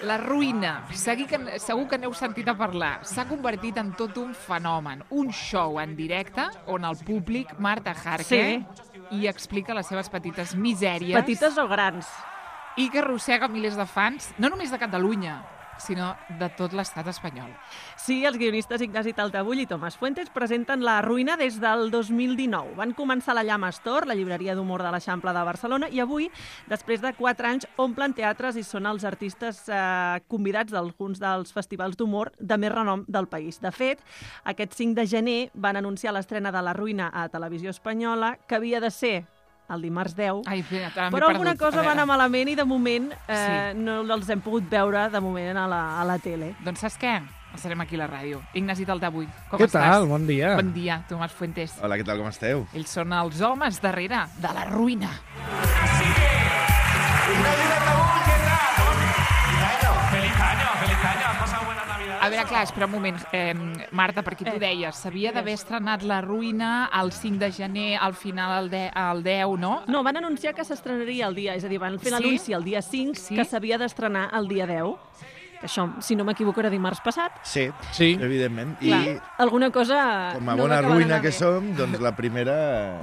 La ruïna, segur que n'heu sentit a parlar, s'ha convertit en tot un fenomen, un show en directe on el públic, Marta Jarque, hi explica les seves petites misèries. Petites o grans. I que arrossega milers de fans, no només de Catalunya, sinó de tot l'estat espanyol. Sí, els guionistes Ignasi Taltabull i Tomàs Fuentes presenten La ruïna des del 2019. Van començar a la Llama Store, la llibreria d'humor de l'Eixample de Barcelona, i avui, després de 4 anys, omplen teatres i són els artistes convidats d'alguns dels festivals d'humor de més renom del país. De fet, aquest 5 de gener van anunciar l'estrena de La ruïna a Televisió Espanyola, que havia de ser el dimarts 10, però alguna cosa va anar malament i de moment no els hem pogut veure de moment a la tele. Doncs saps què? Estarem aquí a la ràdio. Ignasi Taltabull, com Què estàs? tal? Bon dia. Bon dia, Tomàs Fuentes. Hola, què tal, com esteu? Ells són els homes darrere de La ruïna. A veure, clar, espera un moment. Marta, perquè tu deies, s'havia d'haver estrenat La ruïna el 5 de gener, al final el 10, no? No, van anunciar que s'estrenaria el dia, és a dir, van fer l'anunci el dia 5, que s'havia d'estrenar el dia 10. Això, si no m'equivoco, era dimarts passat. Sí, evidentment. Clar, I alguna cosa com a no bona va acabar ruïna d'anar que bé. som, doncs la primera...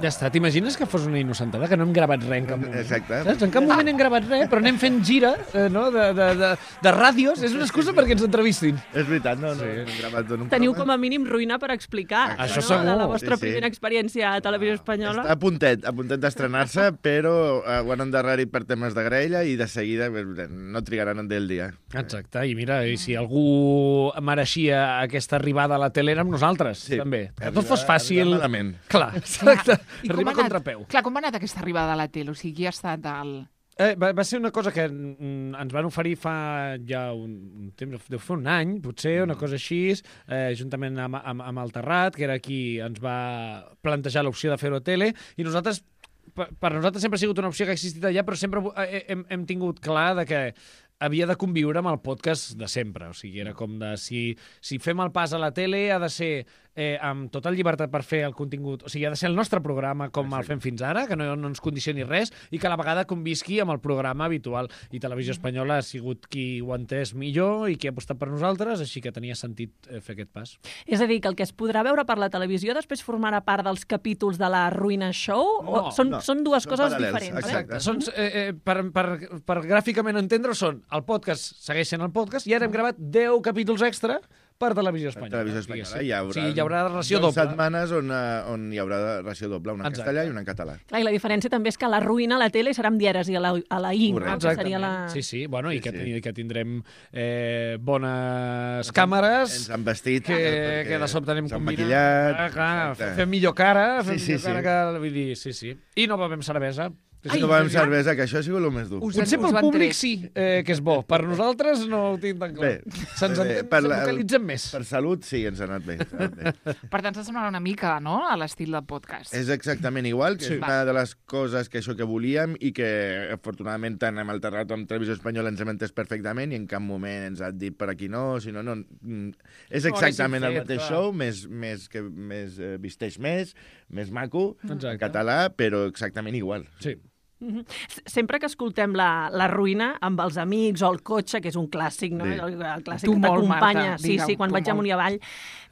Ja està, t'imagines que fos una innocentada, que no hem gravat res en cap moment? Exacte. Saps? En cap moment hem gravat res, però anem fent gira no? de ràdios. És una excusa perquè ens entrevistin. És veritat, no hem gravat en un Teniu programa. com a mínim ruïna per explicar. Això no? segur. De la vostra Sí. primera experiència a Televisió Espanyola. Està a puntet d'estrenar-se, però ho han endarrerit per temes de graella i de seguida no trigaran en dir el dia. Exacte, i mira, i si algú mereixia aquesta arribada a la tele érem nosaltres, també. Que tot fos fàcil. Arribar malament. Clar, exacte. I com Arriba ha a contrapeu. Clar, com ha anat aquesta arribada a la tele? O sigui, qui ha estat el... Va ser una cosa que ens van oferir fa ja un temps, deu fer un any, potser, una cosa així, juntament amb el Terrat, que era qui ens va plantejar l'opció de fer-ho a tele, i nosaltres, per nosaltres sempre ha sigut una opció que ha existit allà, però sempre hem tingut clar de que havia de conviure amb el podcast de sempre. O sigui, era com de... Si fem el pas a la tele, ha de ser amb total llibertat per fer el contingut. O sigui, ha de ser el nostre programa com el fem fins ara, que no ens condicioni res, i que a la vegada convisqui amb el programa habitual. I Televisió Espanyola ha sigut qui ho ha entès millor i qui ha apostat per nosaltres, així que tenia sentit fer aquest pas. És a dir, que el que es podrà veure per la televisió després formarà part dels capítols de la Ruïna Show? No, són dues coses paral·lels, diferents, exacte. Són, per gràficament entendre, són el podcast, segueix sent el podcast, i ara hem gravat 10 capítols extra per Televisió Espanyola. Televisió Espanyola. Hi haurà ració 10 doble. setmanes on hi haurà ració doble, una en castellà i una en català. Clar, i la diferència també és que la Ruïna a la tele serà amb dieres i a la I, no? Que seria la... Sí, bueno, i Sí. que tindrem bones càmeres, Ens han vestit. que de sobte anem s'han combinant. maquillat. Clar, fem millor cara, Sí. vull dir, sí. I no bevem cervesa. No bevem cervesa, que això ha sigut el més dur. Potser pel públic sí, que és bo. Per nosaltres no ho tinc tan clar. Se'ns vocalitzem més. Per salut, sí, ens ha anat bé. Per tant, s'assemblarà una mica, no?, a l'estil del podcast. És exactament igual, que Sí. és una de les coses que això que volíem i que, afortunadament, tant amb el Terrat com amb Televisió Espanyola ens hem entès perfectament i en cap moment ens ha dit per aquí no, si no, no. És exactament el mateix show, més visteix més maco, en català, però exactament igual. Sí. Sempre que escoltem la Ruïna amb els amics o el cotxe, que és un clàssic, no? Sí. El clàssic Tu que molt, t'acompanya. Marta, Sí, digue'm, quan tu vaig molt. amunt i avall.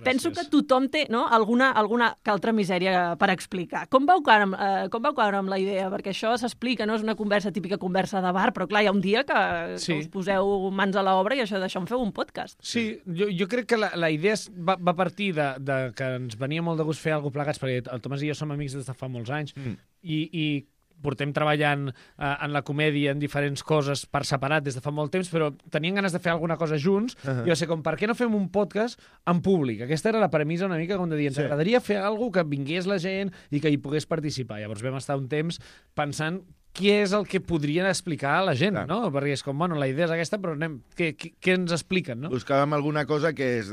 Penso que tothom té, no?, alguna que altra misèria per explicar. Com vau caure amb la idea? Perquè això s'explica, no? És una típica conversa de bar, però clar, hi ha un dia que us poseu mans a l'obra i d'això en feu un podcast. Sí, jo crec que la idea va partir de que ens venia molt de gust fer alguna cosa plegats, perquè el Tomàs i jo som amics des de fa molts anys, i portem treballant en la comèdia en diferents coses per separat des de fa molt temps, però tenien ganes de fer alguna cosa junts, i va ser com, per què no fem un podcast en públic? Aquesta era la premissa una mica com de dir, ens agradaria fer alguna cosa que vingués la gent i que hi pogués participar. Llavors vam estar un temps pensant què és el que podrien explicar a la gent, no? Perquè és com, bueno, la idea és aquesta, però què ens expliquen, no? Buscàvem alguna cosa que és...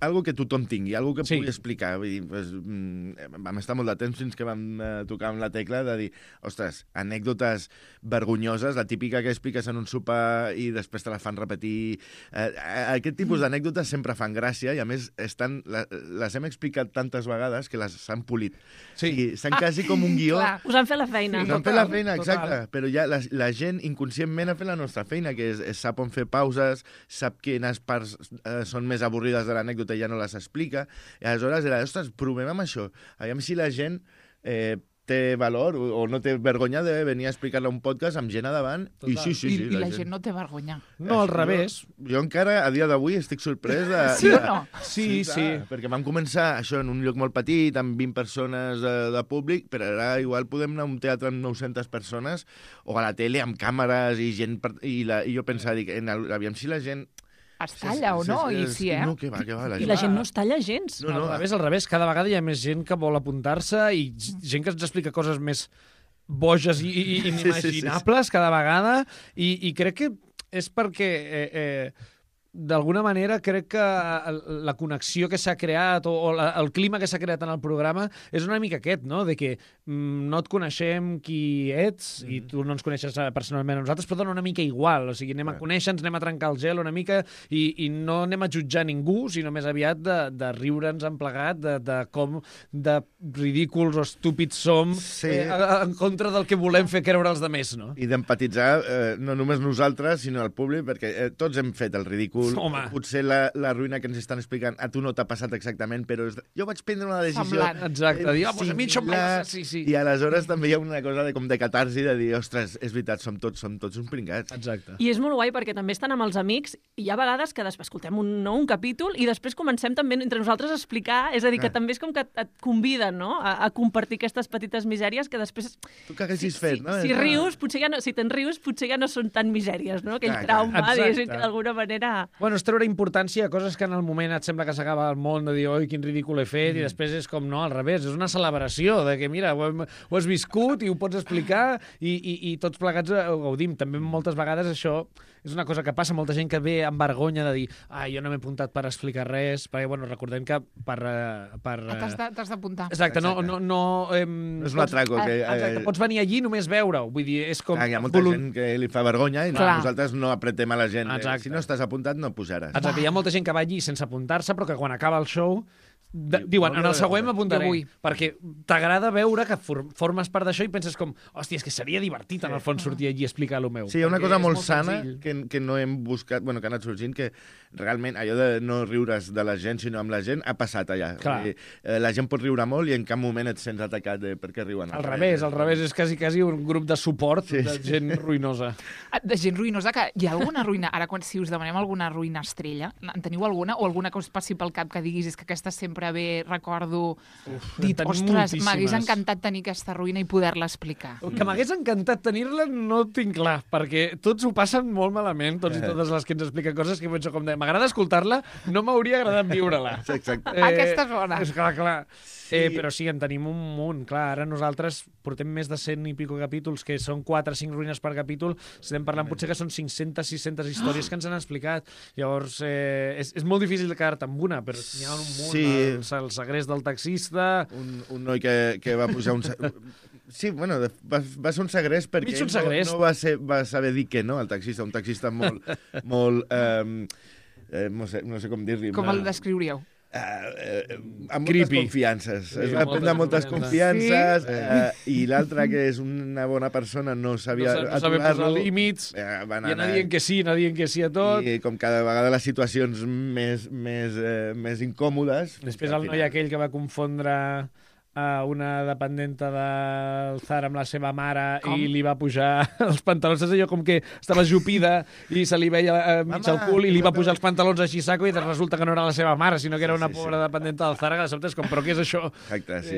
algo que tothom tingui, algo que pugui explicar. Vull dir, vam estar molt de temps fins que vam tocar amb la tecla de dir, ostres, anècdotes vergonyoses, la típica que expliques en un sopar i després te la fan repetir. Aquest tipus d'anècdotes sempre fan gràcia i, a més, les hem explicat tantes vegades que les han polit. Sí. S'han quasi com un guió. Us han fet la feina. Us han fet la feina feina, exacte, però ja la gent inconscientment ha fet la nostra feina, que és sap on fer pauses, sap quines parts són més avorrides de l'anècdota i ja no les explica, i aleshores era, ostres, provem amb això, aviam si la gent té valor o no té vergonya de venir a explicar-la a un podcast amb gent a davant. Total. I sí, I la gent no té vergonya. No, al revés. Jo encara, a dia d'avui, estic sorprès de... Sí o no? Sí. Perquè vam començar això en un lloc molt petit, amb 20 persones de públic, però ara igual podem anar a un teatre amb 900 persones o a la tele amb càmeres i gent... I jo pensava, dic, aviam si la gent... Es talla o no? I sí, No, que va, I la gent no es talla gens. No, al revés, cada vegada hi ha més gent que vol apuntar-se i gent que ens explica coses més boges i inimaginables cada vegada i crec que és perquè d'alguna manera crec que la connexió que s'ha creat o el clima que s'ha creat en el programa és una mica aquest, no? De que no et coneixem qui ets i tu no ens coneixes personalment a nosaltres, però dona una mica igual. O sigui, anem a conèixer-nos, anem a trencar el gel una mica i no anem a jutjar ningú, sinó més aviat de riure'ns en plegat de com de ridículs o estúpids som en contra del que volem fer creure els demés, no? I d'empatitzar no només nosaltres, sinó el públic, perquè tots hem fet el ridícul. Home. Potser la ruïna que ens estan explicant a tu no t'ha passat exactament, però jo vaig prendre una decisió... Semblant. Exacte, dir, pues a mi això sí. I aleshores també hi ha una cosa de catarsi, de dir, ostres, és veritat, som tots uns pringats. Exacte. I és molt guai perquè també estan amb els amics i hi ha vegades que després escoltem un capítol i després comencem també entre nosaltres a explicar, és a dir, que també és com que et conviden, no?, a compartir aquestes petites misèries que després... Tu que haguessis fet, no? Si rius, potser ja no, si te'n rius, potser ja no són tan misèries, no? Aquell trauma, diguéssim, que d'alguna manera... Bueno, és treure importància a coses que en el moment et sembla que s'acaba el món, de dir, oi, quin ridícul he fet, i després és com, no, al revés, és una celebració, de que, mira, ho has viscut i ho pots explicar i tots plegats ho gaudim. També moltes vegades això és una cosa que passa, molta gent que ve amb vergonya de dir, jo no m'he apuntat per explicar res, perquè, bueno, recordem que per T'has d'apuntar. Exacte, no és un atraco. Exacte, pots venir allí només veure-ho, vull dir, és com... Hi ha molta gent que li fa vergonya i nosaltres no apretem a la gent. Exacte. Si no estàs apuntat, no pujaràs. Exacte, hi ha molta gent que va allí sense apuntar-se, però que quan acaba el show diuen, en el següent m'apuntaré, perquè t'agrada veure que formes part d'això i penses com, hòstia, és que seria divertit en el fons sortir allí i explicar el meu. Sí, hi ha una cosa molt sana que no hem buscat, bueno, que ha anat sorgint, que realment allò de no riure's de la gent, sinó amb la gent, ha passat allà. La gent pot riure molt i en cap moment et sents atacat perquè riuen. Al revés, és quasi un grup de suport de gent ruïnosa. De gent ruïnosa, que hi ha alguna ruïna, ara si us demanem alguna ruïna estrella, en teniu alguna? O alguna que us passi pel cap que diguis és que aquesta sempre ve, recordo, dit, ostres, m'hagués encantat tenir aquesta ruïna i poder-la explicar. Que m'hagués encantat tenir-la no ho tinc clar, perquè tots ho passen molt malament, tots i totes les que ens expliquen coses que penso com de, m'agrada escoltar-la, no m'hauria agradat viure-la. Exacte. Aquesta és bona. És clar. Sí. Però sí, en tenim un munt, clar. Ara nosaltres portem més de 100 i pico capítols, que són 4 o 5 ruïnes per capítol. Estem parlant potser que són 500-600 històries que ens han explicat. Llavors, és molt difícil de quedar-te amb una, però n'hi ha un munt. Sí. El segrest del taxista... Un noi que va pujar un... Sí, bueno, va ser un segrest perquè no va saber dir que no al taxista, un taxista molt no sé com dir-li. Com el descriuríeu? Amb moltes confiances. Es va prendre moltes confiances i l'altre, que és una bona persona, no sabia posar límits, i anar dient que sí a tot. I com cada vegada les situacions més incòmodes... Després el noi aquell que va confondre una dependenta del Zara amb la seva mare i li va pujar els pantalons, és allò com que estava jupida i se li veia mig al cul i li va pujar els pantalons així saco i resulta que no era la seva mare, sinó que era una pobra dependenta del Zara, que de sobte és com, però què és això? Exacte, sí.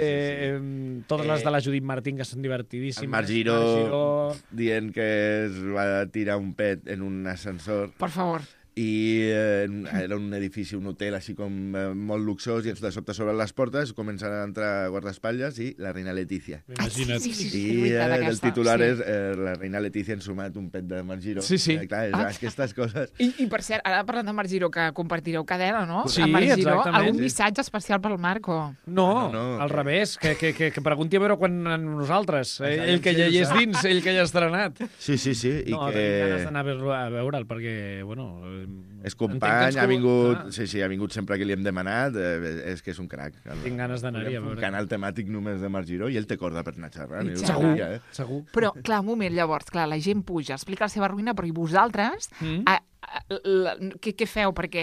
Totes les de la Judit Martín, que són divertidíssimes. El Marc Giró dient que es va tirar un pet en un ascensor. Per favor. I era un edifici, un hotel així com molt luxós, i de sobte s'obren les portes, comencen a entrar guardaespatlles i la reina Letícia. Imagina't. I el titular és la reina Letícia ha ensumat un pet de Marc Giró. Sí. Clar, aquestes coses... I per cert, ara parlant de Marc Giró, que compartireu cadena, no? Sí, amb Marc Giró, exactament. algun missatge especial pel Marco? No, al revés, que pregunti a veure quan nosaltres. Ell que ja hi és dins, ell que ja ha estrenat. Sí. No, tenim ganes d'anar a veure'l, perquè, bueno, És company, ha vingut... Sí, ha vingut sempre que li hem demanat. És que és un crac. Tinc ganes d'anar-hi a veure. Un canal temàtic només de Marc Giró i ell té corda per anar xerrant. Segur. Però, clar, un moment, llavors, clar, la gent puja, explica la seva ruïna, però i vosaltres... Què feu? Perquè,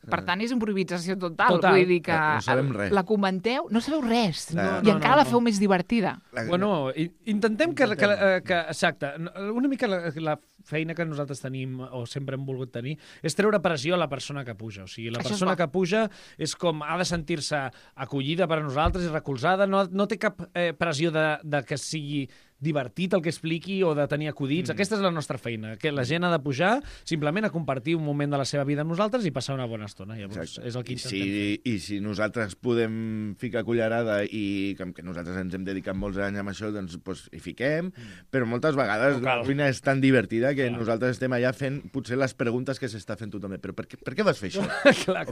per tant, és improvisació total. Vull dir que no sabem res. La comenteu, no sabeu res. I encara la feu més divertida. Bueno, intentem que exacte, una mica la feina que nosaltres tenim o sempre hem volgut tenir és treure pressió a la persona que puja. O sigui, la persona que puja és com ha de sentir-se acollida per a nosaltres i recolzada, no té cap pressió de que sigui divertit el que expliqui o de tenir acudits. Aquesta és la nostra feina, que la gent ha de pujar simplement a compartir un moment de la seva vida amb nosaltres i passar una bona estona. Llavors, és el que intentem fer. I si nosaltres podem ficar cullerada i que nosaltres ens hem dedicat molts anys amb això, doncs hi fiquem, però moltes vegades la ruïna és tan divertida que nosaltres estem allà fent potser les preguntes que s'està fent tothom. Però per què vas fer això?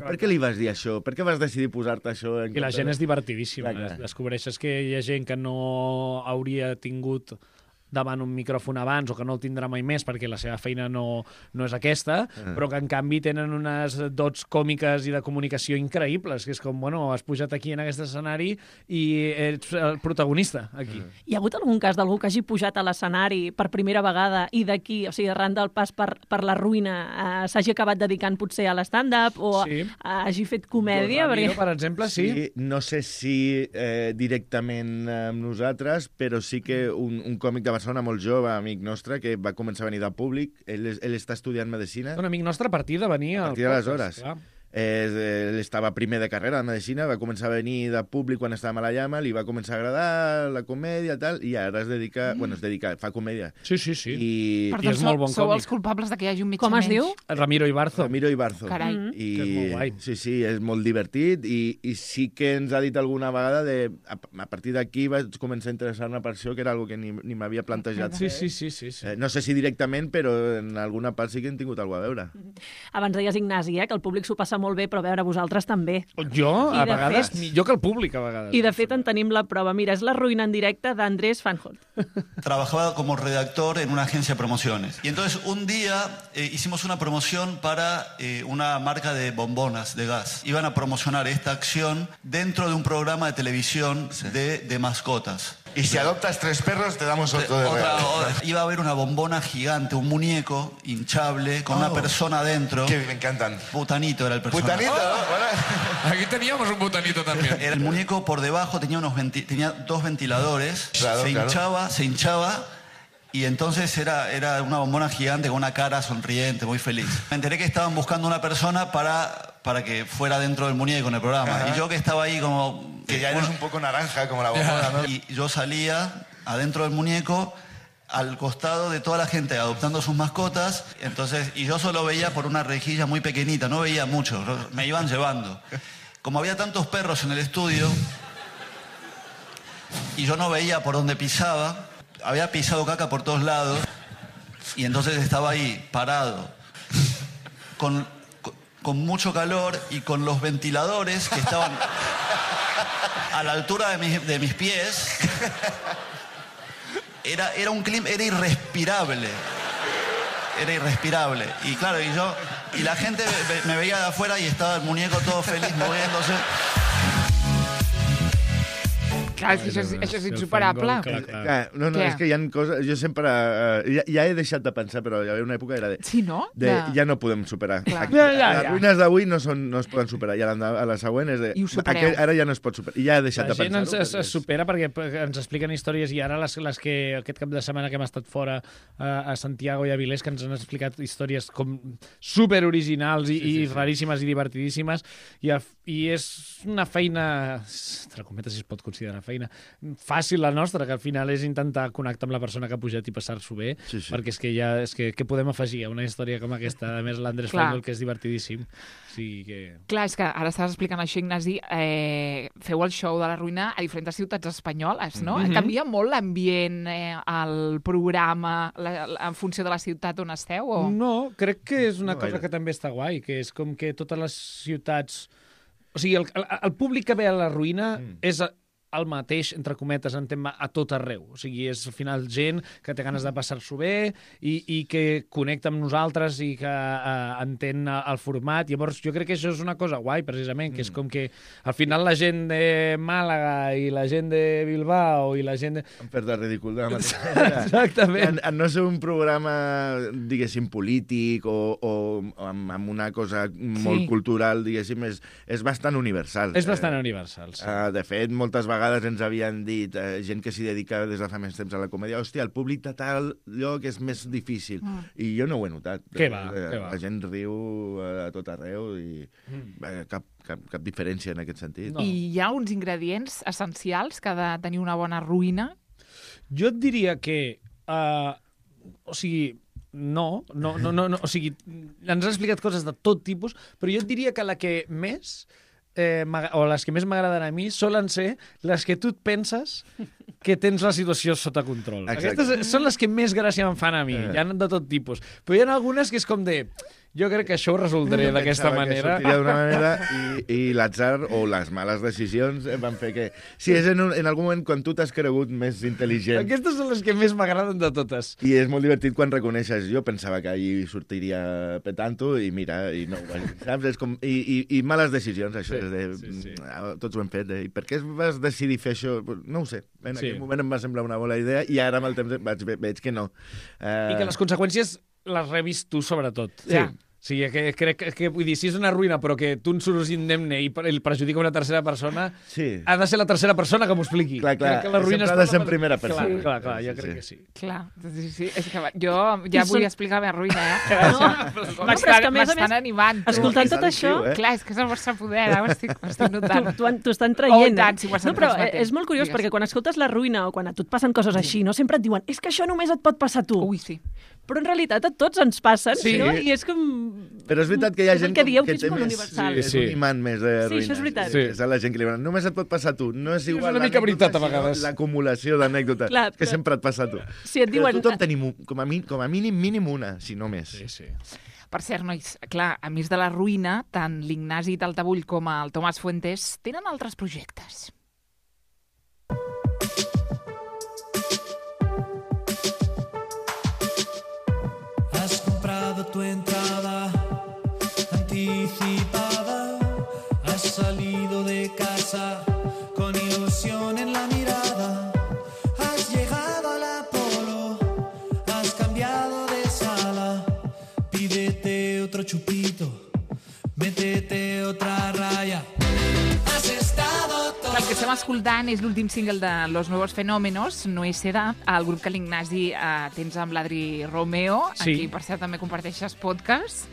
Per què li vas dir això? Per què vas decidir posar-te això? I la gent és divertidíssima. Descobreixes que hi ha gent que no hauria tingut davant un micròfon abans o que no el tindrà mai més perquè la seva feina no és aquesta, però que en canvi tenen unes dots còmiques i de comunicació increïbles, que és com, bueno, has pujat aquí en aquest escenari i ets el protagonista aquí. Hi ha hagut algun cas d'algú que hagi pujat a l'escenari per primera vegada i d'aquí, o sigui, arran del pas per la ruïna, s'hagi acabat dedicant potser a l'stand-up o hagi fet comèdia? Ramiro, per exemple, sí. No sé si directament amb nosaltres, però sí que un còmic de Barcelona molt jove, amic nostre, que va començar a venir del públic. Ell està estudiant medicina. Un amic nostre a partir de venir a partir d'aleshores. Ell estava primer de carrera de medicina, va començar a venir de públic quan estàvem a la Llama, li va començar a agradar la comèdia i ara es dedica, fa comèdia. Sí. I és molt bon còmic. Sou els culpables de que hi hagi un metge menys. Com es diu? Ramiro Ibarzo. Carai. I és molt guai. Sí, és molt divertit i sí que ens ha dit alguna vegada a partir d'aquí vaig començar a interessar-me per això, que era algo que ni m'havia plantejat. Sí. No sé si directament, però en alguna part sí que hem tingut alguna a veure. Abans deies, Ignasi, que el públic s'ho passa molt bé, però a veure, vosaltres també. Jo, a vegades, millor que el públic, a vegades. I de fet en tenim la prova. Mira, és la ruïna en directe d'Andrés Fanholt. Trabajaba como redactor en una agencia de promociones. Y entonces un día hicimos una promoción para una marca de bombonas de gas. Iban a promocionar esta acción dentro de un programa de televisión de mascotas. Y si adoptas 3 perros, te damos otro de regalo. Iba a haber una bombona gigante, un muñeco hinchable con una persona adentro. Que me encantan. Butanito era el personaje. ¿Butanito? Aquí teníamos un butanito también. El muñeco por debajo tenía 2 ventiladores. Claro, se hinchaba. Y entonces era una bombona gigante con una cara sonriente, muy feliz. Me enteré que estaban buscando una persona para que fuera dentro del muñeco en el programa. Ajá. Y yo que estaba ahí como... Que ya eres un poco naranja, como la bombona, ¿no? Y yo salía adentro del muñeco al costado de toda la gente adoptando sus mascotas. Entonces, y yo solo veía por una rejilla muy pequeñita, no veía mucho, me iban llevando. Como había tantos perros en el estudio y yo no veía por dónde pisaba, había pisado caca por todos lados y entonces estaba ahí parado con mucho calor y con los ventiladores que estaban a la altura de mis pies. Era un clima, era irrespirable. Y claro, y la gente me veía de afuera y estaba el muñeco todo feliz moviéndose. Clar, això és insuperable. No, és que hi ha coses... Jo sempre... Ja he deixat de pensar, però hi havia una època era de... Sí, no? Ja no podem superar. Les ruïnes d'avui no es poden superar. I a la següent és de... I ho supereu. Ara ja no es pot superar. I ja he deixat de pensar-ho. La gent es supera perquè ens expliquen històries i ara les que aquest cap de setmana que hem estat fora a Santiago i a Vilés, que ens han explicat històries com superoriginals i raríssimes i divertidíssimes. I és una feina, entre cometes si es pot considerar feina, fàcil la nostra, que al final és intentar connectar amb la persona que ha pujat i passar-s'ho bé, perquè és que què podem afegir a una història com aquesta? A més, l'Andrés Fanholt, que és divertidíssim. Clar, és que ara estàs explicant això, Ignasi, feu el show de la ruïna a diferents ciutats espanyoles, no? Canvia molt l'ambient, el programa, en funció de la ciutat on esteu? O? No, crec que és una cosa que també està guai, que és com que totes les ciutats... O sigui, el públic que ve a la ruïna és el mateix, entre cometes, en tema a tot arreu. O sigui, és al final gent que té ganes de passar-s'ho bé i que connecta amb nosaltres i que entén el format. Llavors, jo crec que això és una cosa guai, precisament, que és com que al final la gent de Màlaga i la gent de Bilbao i la gent de... Han fet el ridícul de la mateixa manera. Exactament. En no ser un programa, diguéssim, polític o amb una cosa molt cultural, diguéssim, és bastant universal. És bastant universal, sí. De fet, moltes vegades ens havien dit gent que s'hi dedica des de fa més temps a la comèdia, hòstia, el públic de tal lloc és més difícil. I jo no ho he notat. Què va? La gent riu a tot arreu i cap diferència en aquest sentit. No. I hi ha uns ingredients essencials que ha de tenir una bona ruïna? Jo et diria que... o sigui... No, o sigui, ens has explicat coses de tot tipus, però jo et diria que la que més, o les que més m'agraden a mi, solen ser les que tu et penses que tens la situació sota control. Exacte. Aquestes són les que més gràcia em fan a mi, hi ha de tot tipus. Però hi ha algunes que és com de... Jo crec que això ho resoldré d'aquesta manera. Que d'una manera i l'atzar o les males decisions van fer que... Sí, és en algun moment quan tu t'has cregut més intel·ligent. Aquestes són les que més m'agraden de totes. I és molt divertit quan reconeixes. Jo pensava que ahir sortiria petant-ho i mira, i no, saps? És com... I males decisions, això. Sí. Tots ho hem fet. I per què vas decidir fer això? No ho sé. En aquell moment em va semblar una bona idea i ara amb el temps veig que no. I que les conseqüències les rebis tu, sobretot. Sí. Sí, crec que, vull dir, si és una ruïna però que tu en surts indemne i el perjudica una tercera persona, ha de ser la tercera persona que m'ho expliqui. Clar, que la ruïna sempre ha de ser en primera persona. Clar, jo crec que sí. Clar, sí. És que jo ja vull explicar la meva ruïna, m'estan animant. Escoltant tot això... Clar, és que és el vostre poder, ho estic notant. T'ho estan traient. Tant, si ho no, però és molt curiós perquè quan escoltes la ruïna o quan a tu et passen coses així, no sempre et diuen és que això només et pot passar a tu. Ui, sí. Però en realitat a tots ens passen, no? I és com... Però és veritat que hi ha gent que dieu que que és molt universal. És un imant més de ruïnes. Sí, això és veritat. És la gent que li diuen, només et pot passar a tu. No és igual una mica veritat a vegades. L'acumulació d'anècdotes que sempre et passa a tu. Si et diuen... Tothom tenim, com a mínim una, si no més. Sí. Per cert, nois, clar, a més de la ruïna, tant l'Ignasi Taltabull com el Tomàs Fuentes tenen altres projectes. Has comprado tu entrada anticipada, has salido de casa con ilusión en la mirada, has llegado al Apolo, has cambiado de sala, pídete otro chupito, métete otra raya. El que estem escoltant és l'últim single de Los Nuevos Fenómenos, No es edad, el grup que l'Ignasi tens amb l'Adri Romeo, aquí per cert també comparteixes podcast.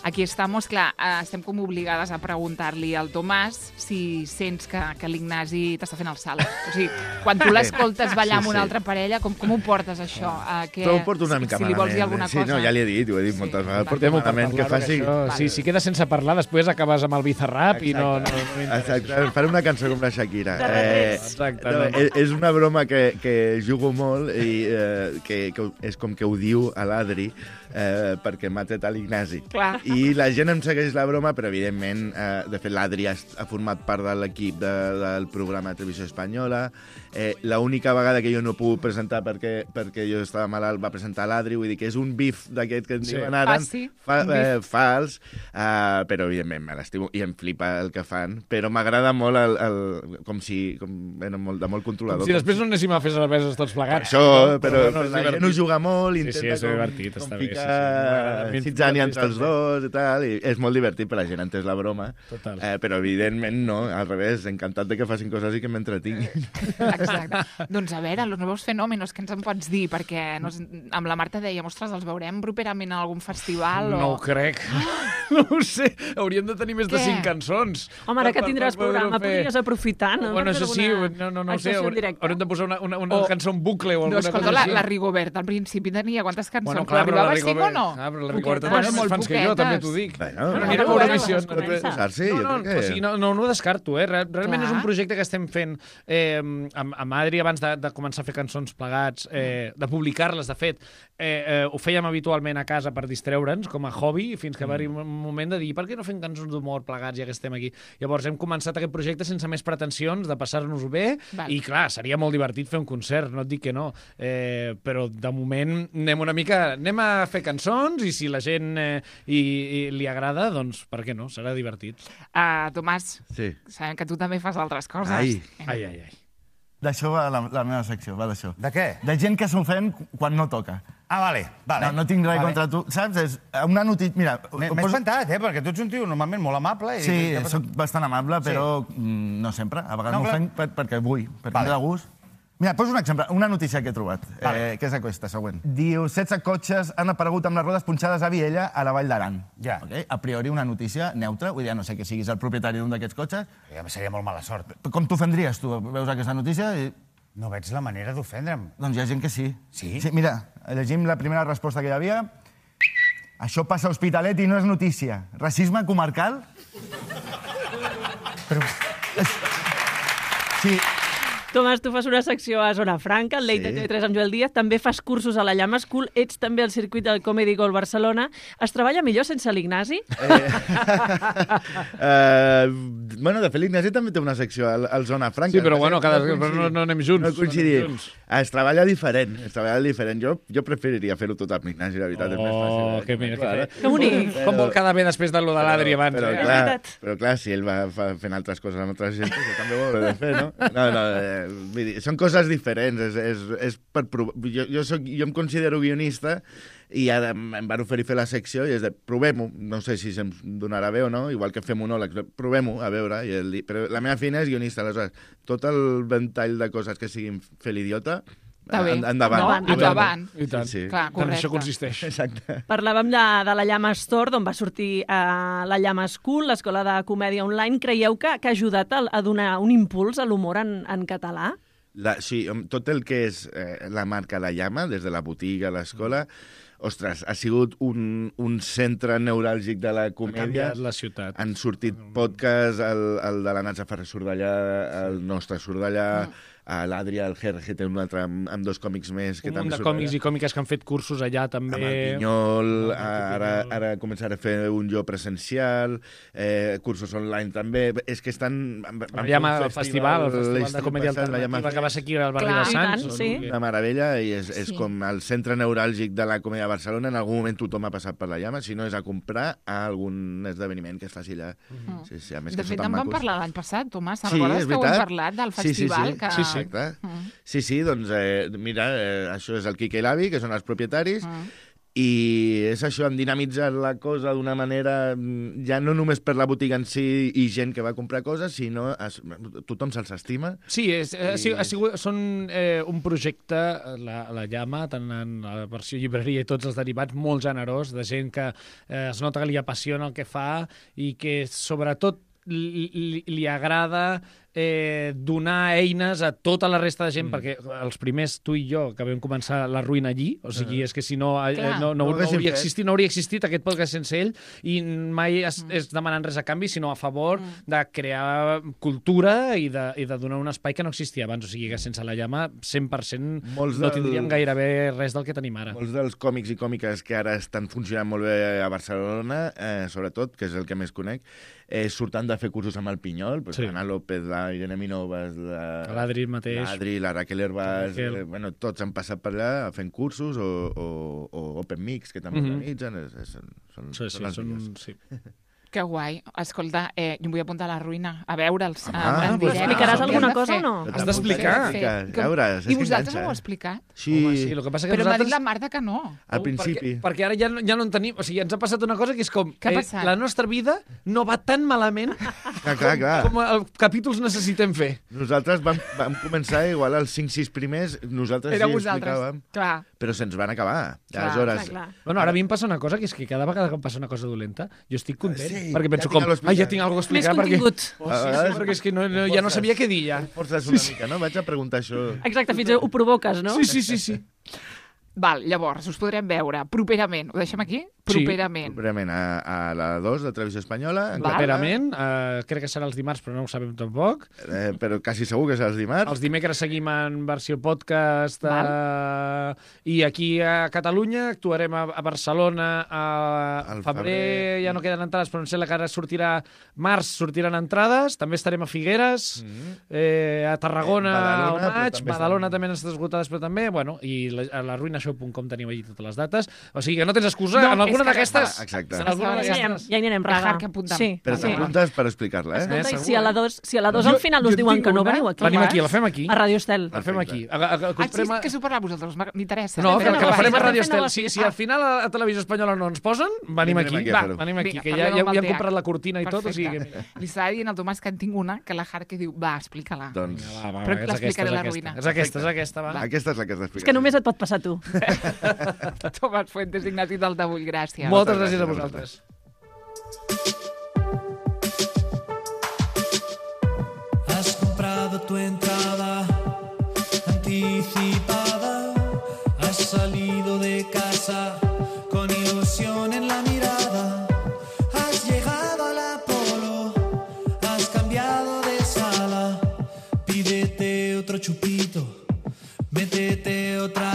Aquí estamos, clar, estem com obligades a preguntar-li al Tomàs si sents que l'Ignasi t'està fent el salt. O sigui, quan tu l'escoltes ballar amb una altra parella, com ho portes, això? Però ho porto una mica malament. Si li vols dir alguna cosa. Sí, no, ja li he dit, ho he dit moltes vegades. Portem malament que faci... Si quedes sense parlar, després acabes amb el Bizarrap i no... Exacte, faré una cançó com la Shakira. Exactament. És una broma que jugo molt i que és com que ho diu a l'Adri perquè m'ha tret a l'Ignasi. I la gent em segueix la broma, però evidentment, de fet, l'Adri ha format part de l'equip del programa de Televisió Espanyola. L'única vegada que jo no puc presentar perquè jo estava malalt va presentar l'Adri, vull dir que és un bif d'aquest que en diuen ara, fals, però evidentment me l'estimo i em flipa el que fan, però m'agrada molt com de molt controlador. Com si després no anéssim a fer cerveses tots plegats. Això, però la gent ho juga molt, intenta és divertit, està bé. Citzània entre els dos i tal, i és molt divertit per la gent, ha entès la broma, però evidentment no, al revés, encantat de que facin coses i que m'entretinguin. Exacte. Doncs a veure, Los Nuevos Fenómenos, què ens en pots dir? Perquè amb la Marta dèiem, ostres, els veurem properament en algun festival? No ho crec. No ho sé, hauríem de tenir més de 5 cançons. Home, ara que tindràs programa, podries aprofitar, no? Bueno, això sí, no ho sé, haurem de posar una cançó en bucle o alguna cosa així. No, escolta, la Rigobert al principi tenia quantes cançons? Però arribava a 5 o no? Però la Rigobert tenia més fans que jo, també t'ho dic. No ho descarto, realment és un projecte que estem fent amb Adri abans de començar a fer cançons plegats, de publicar-les, de fet, ho fèiem habitualment a casa per distreure'ns, com a hobby, fins que va arribar un moment de dir per què no fem cançons d'humor plegats ja que estem aquí? Llavors hem començat aquest projecte sense més pretensions de passar-nos-ho bé i clar, seria molt divertit fer un concert, no et dic que no, però de moment anem a fer cançons i si la gent li agrada, doncs per què no? Serà divertit. Tomàs, sabem que tu també fas altres coses. Ai. D'això va la meva secció, va d'això. De què? De gent que s'ofèn quan no toca. Ah, vale. No tinc res contra tu. Saps? És una notícia... Mira... M'he espantat, perquè tu ets un tio normalment molt amable. Sí, soc bastant amable, però no sempre. A vegades m'ofenc perquè vull, perquè em da gust. Mira, poso un exemple, una notícia que he trobat, que és aquesta, següent. Diu, 16 cotxes han aparegut amb les rodes punxades a Viella a la Vall d'Aran. Ja. A priori una notícia neutra, vull dir, no sé que siguis el propietari d'un d'aquests cotxes. Seria molt mala sort. Com t'ofendries, tu? Veus aquesta notícia i... No veig la manera d'ofendre'm. Doncs hi ha gent que sí. Sí? Sí, mira, llegim la primera resposta que hi havia. Això passa a Hospitalet i no és notícia. Racisme comarcal? Però... Sí. Tomàs, tu fas una secció a Zona Franca, al Late de TV3 amb Joel Díaz, també fas cursos a la Llama School, ets també al circuit del Comedy Gold Barcelona. Es treballa millor sense l'Ignasi? Bueno, de fet, l'Ignasi també té una secció al Zona Franca. Sí, però bueno, no anem junts. No coincidim. Es treballa diferent. Jo preferiria fer-ho tot amb l'Ignasi, la veritat, és més fàcil. Que bonic. Com vol quedar bé després de lo de l'Adri abans. Però clar, si ell va fent altres coses amb altres gent, jo també ho he de fer, no? Vull dir, són coses diferents, és per provar. Jo em considero guionista i ara em van oferir fer la secció i és de, provem-ho, no sé si se'm donarà bé o no, igual que fem monòlegs, provem-ho, a veure, però la meva feina és guionista, aleshores, tot el ventall de coses que siguin fer l'idiota, endavant. I tant. Clar, correcte. Això consisteix. Exacte. Parlàvem de la Llama Store, d'on va sortir la Llama School, l'escola de comèdia online. Creieu que ha ajudat a donar un impuls a l'humor en català? Sí, tot el que és la marca La Llama, des de la botiga, l'escola, ostres, ha sigut un centre neuràlgic de la comèdia. Ha canviat la ciutat. Han sortit podcasts, el de la Natza Ferrer surt d'allà, el nostre surt d'allà, l'Adri, el Jerge, té un altre amb 2 còmics més. Un munt de còmics i còmiques que han fet cursos allà també. Amb el Pinyol, ara començaré a fer un jo presencial, cursos online també. És que estan... El festival de comèdia alternativa que va ser aquí al barri de Sants. Una meravella i és com el centre neuràlgic de la comèdia a Barcelona. En algun moment tothom ha passat per la Llama, si no és a comprar a algun esdeveniment que es faci allà. De fet, en vam parlar l'any passat, Tomàs. Sí, Recordes que ho hem parlat del festival? Sí, doncs mira, això és el Quique i l'Avi, que són els propietaris, i és això, han dinamitzat la cosa d'una manera, ja no només per la botiga en si i gent que va comprar coses, sinó tothom se'ls estima. Sí, són un projecte, la Llama, tant en la versió llibreria i tots els derivats, molt generós, de gent que es nota que li apassiona el que fa i que sobretot li agrada donar eines a tota la resta de gent, perquè els primers, tu i jo, que vam començar la ruïna allí, o sigui, és que si no no hauria existit aquest podcast sense ell, i mai és demanant res a canvi, sinó a favor de crear cultura i de donar un espai que no existia abans, o sigui que sense la Llama 100% no tindríem gairebé res del que tenim ara. Molts dels còmics i còmiques que ara estan funcionant molt bé a Barcelona, sobretot, que és el que més conec, surten de fer cursos amb el Pinyol, Ana López, la Irene Minovas, l'Adri mateix, la Raquel Herbàs, tots han passat per allà fent cursos o Open Mix, que també organitzen, són els millors. Que guai. Escolta, jo em vull apuntar a la ruïna, a veure'ls. Explicaràs alguna cosa o no? Has d'explicar. I vosaltres ho heu explicat? Sí. Però m'ha dit la Marta que no. Al principi. Perquè ara ja no en tenim... O sigui, ens ha passat una cosa que és com... La nostra vida no va tan malament com els capítols necessitem fer. Nosaltres vam començar igual els 5-6 primers, nosaltres sí explicàvem, però se'ns van acabar. Aleshores... Bueno, ara a mi em passa una cosa, que és que cada vegada que em passa una cosa dolenta, jo estic content. Perquè penso ja tinc alguna cosa a explicar. Més contingut. Perquè és que ja no sabia què dir, ja. Forces una mica, no? Vaig a preguntar això. Exacte, fins ho provoques, no? Sí. Val, llavors, us podrem veure properament. Ho deixem aquí? Properament. A la 2 de Televisió Espanyola. Properament. Crec que serà els dimarts, però no ho sabem tampoc. Però quasi segur que serà els dimarts. Els dimecres seguim en versió podcast. I aquí a Catalunya actuarem a Barcelona. Al febrer ja no queden entrades, però em sembla que ara sortirà març, sortiran entrades. També estarem a Figueres, a Tarragona al maig, Badalona també han estat esgotades, però també, bueno, i a laruinashow.com teniu allí totes les dates. O sigui que no tens excusa. En alguna d'aquestes... Exacte. Ja hi anirem, Raga. Però t'apuntes per explicar-la, Escolta, si a la 2 al final us diuen que no, veniu aquí. Venim aquí, la fem aquí. A Radio Estel. La fem aquí. Que s'ho parleu vosaltres, m'interessa. No, que la farem a Radio Estel. Si al final a Televisió Espanyola no ens posen, venim aquí. Venim aquí, que ja hem comprat la cortina i tot. Li estava dient al Tomàs que en tinc una, que la Jarque diu, va, explica-la. Doncs... Però l'explicaré a la ruïna. És aquesta, va. Aquesta és la que has d'explicar. És que només et pot passar tu. Tomàs Fuentes, Ignasi Taltabull, gràcies. Moltes gràcies a vosaltres. Has comprado tu entrada anticipada, has salido de casa con ilusión en la mirada, has llegado al Apolo, has cambiado de sala, pídete otro chupito, métete otra